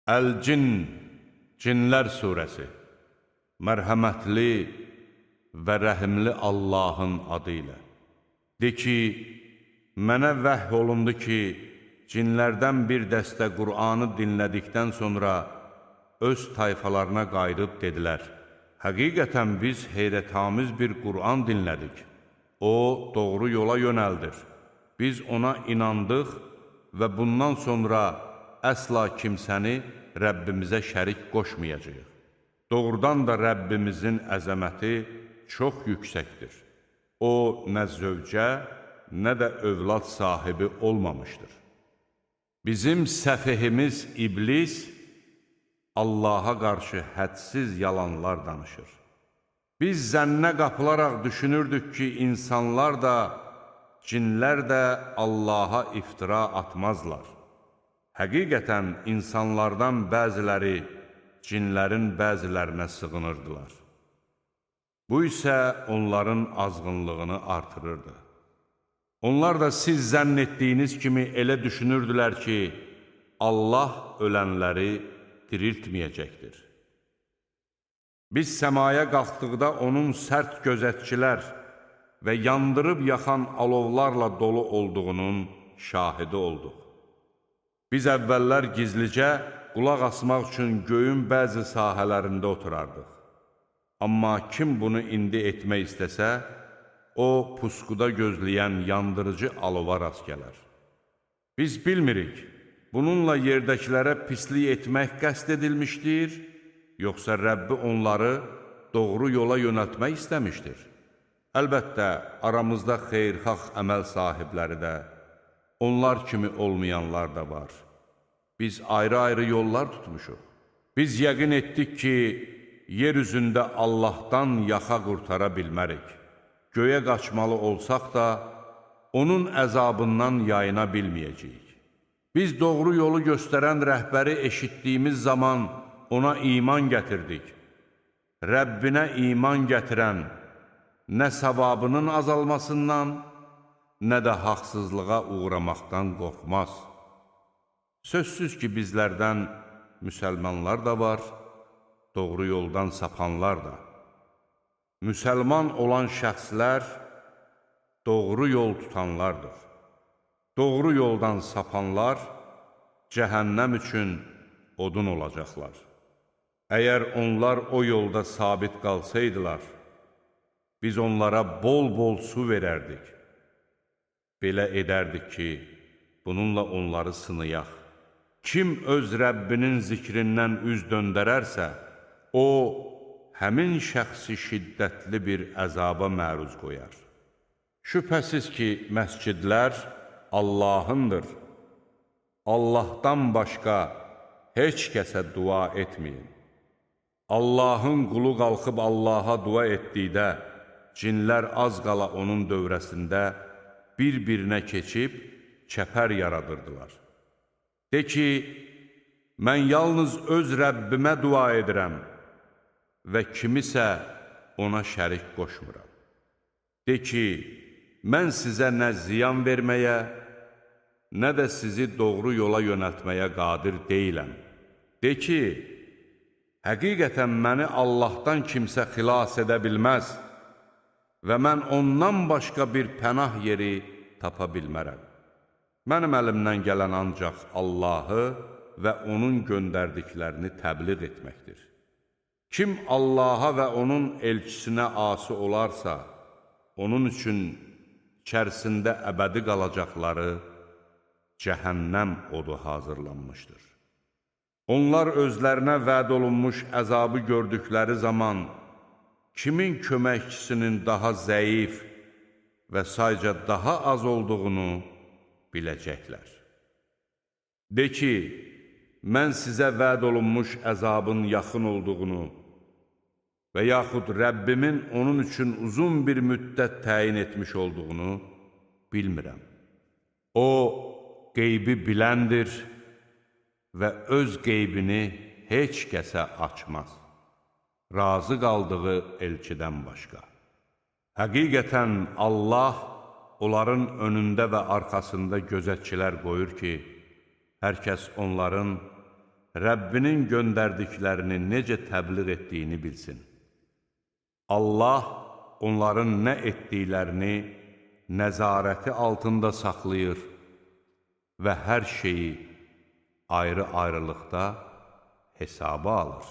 Əl-Cin, Cinlər surəsi, mərhəmətli və rəhimli Allahın adı ilə. De ki, mənə vəhy olundu ki, cinlərdən bir dəstə Qur'anı dinlədikdən sonra öz tayfalarına qayıdıb dedilər, həqiqətən biz heyrətamiz bir Qur'an dinlədik. O, doğru yola yönəldir. Biz ona inandıq və bundan sonra əsla kimsəni Rəbbimizə şərik qoşmayacağıq. Doğrudan da Rəbbimizin əzəməti çox yüksəkdir. O, nə zövcə, nə də övlad sahibi olmamışdır. Bizim səfehimiz iblis Allaha qarşı hədsiz yalanlar danışır. Biz zənnə qapılaraq düşünürdük ki, insanlar da, cinlər də Allaha iftira atmazlar. Həqiqətən insanlardan bəziləri cinlərin bəzilərinə sığınırdılar. Bu isə onların azğınlığını artırırdı. Onlar da siz zənn etdiyiniz kimi elə düşünürdülər ki, Allah ölənləri diriltməyəcəkdir. Biz səmaya qalxdıqda onun sərt gözətçilər və yandırıb yaxan alovlarla dolu olduğunun şahidi olduq. Biz əvvəllər gizlicə qulaq asmaq üçün göyün bəzi sahələrində oturardıq. Amma kim bunu indi etmək istəsə, o pusquda gözləyən yandırıcı alova rast gələr. Biz bilmirik, bununla yerdəkilərə pislik etmək qəsd edilmişdir, yoxsa Rəbbi onları doğru yola yönəltmək istəmişdir. Əlbəttə, aramızda xeyirxah əməl sahibləri də, onlar kimi olmayanlar da var. Biz ayrı-ayrı yollar tutmuşuq. Biz yəqin etdik ki, yer üzündə Allahdan yaxa qurtara bilmərik. Göyə qaçmalı olsaq da, onun əzabından yayına bilməyəcəyik. Biz doğru yolu göstərən rəhbəri eşitdiyimiz zaman ona iman gətirdik. Rəbbinə iman gətirən nə savabının azalmasından, nə də haqsızlığa uğramaqdan qorxmaz. Sözsüz ki, bizlərdən müsəlmanlar da var, doğru yoldan sapanlar da. Müsəlman olan şəxslər doğru yol tutanlardır. Doğru yoldan sapanlar cəhənnəm üçün odun olacaqlar. Əgər onlar o yolda sabit qalsaydılar, biz onlara bol-bol su verərdik. Belə edərdik ki, bununla onları sınayaq. Kim öz Rəbbinin zikrindən üz döndərərsə, o, həmin şəxsi şiddətli bir əzaba məruz qoyar. Şübhəsiz ki, məscidlər Allahındır. Allahdan başqa heç kəsə dua etməyin. Allahın qulu qalxıb Allaha dua etdikdə, cinlər az qala onun dövrəsində bir-birinə keçib çəpər yaradırdılar. De ki, mən yalnız öz Rəbbimə dua edirəm və kimisə ona şərik qoşmuram. De ki, mən sizə nə ziyan verməyə, nə də sizi doğru yola yönəltməyə qadir deyiləm. De ki, həqiqətən məni Allahdan kimsə xilas edə bilməz və mən ondan başqa bir pənah yeri tapa bilmərəm. Mənim əlimdən gələn ancaq Allahı və onun göndərdiklərini təbliğ etməkdir. Kim Allaha və onun elçisinə asi olarsa, onun üçün içərisində əbədi qalacaqları cəhənnəm odu hazırlanmışdır. Onlar özlərinə vəd olunmuş əzabı gördükləri zaman kimin köməkçisinin daha zəif və sayca daha az olduğunu biləcəklər. De ki, mən sizə vəd olunmuş əzabın yaxın olduğunu və yaxud Rəbbimin onun üçün uzun bir müddət təyin etmiş olduğunu bilmirəm. O, qeybi biləndir və öz qeybini heç kəsə açmaz. Razı qaldığı elçidən başqa. Həqiqətən Allah onların önündə və arxasında gözətçilər qoyur ki, hər kəs onların Rəbbinin göndərdiklərini necə təbliğ etdiyini bilsin. Allah onların nə etdiklərini nəzarəti altında saxlayır və hər şeyi ayrı-ayrılıqda hesaba alır.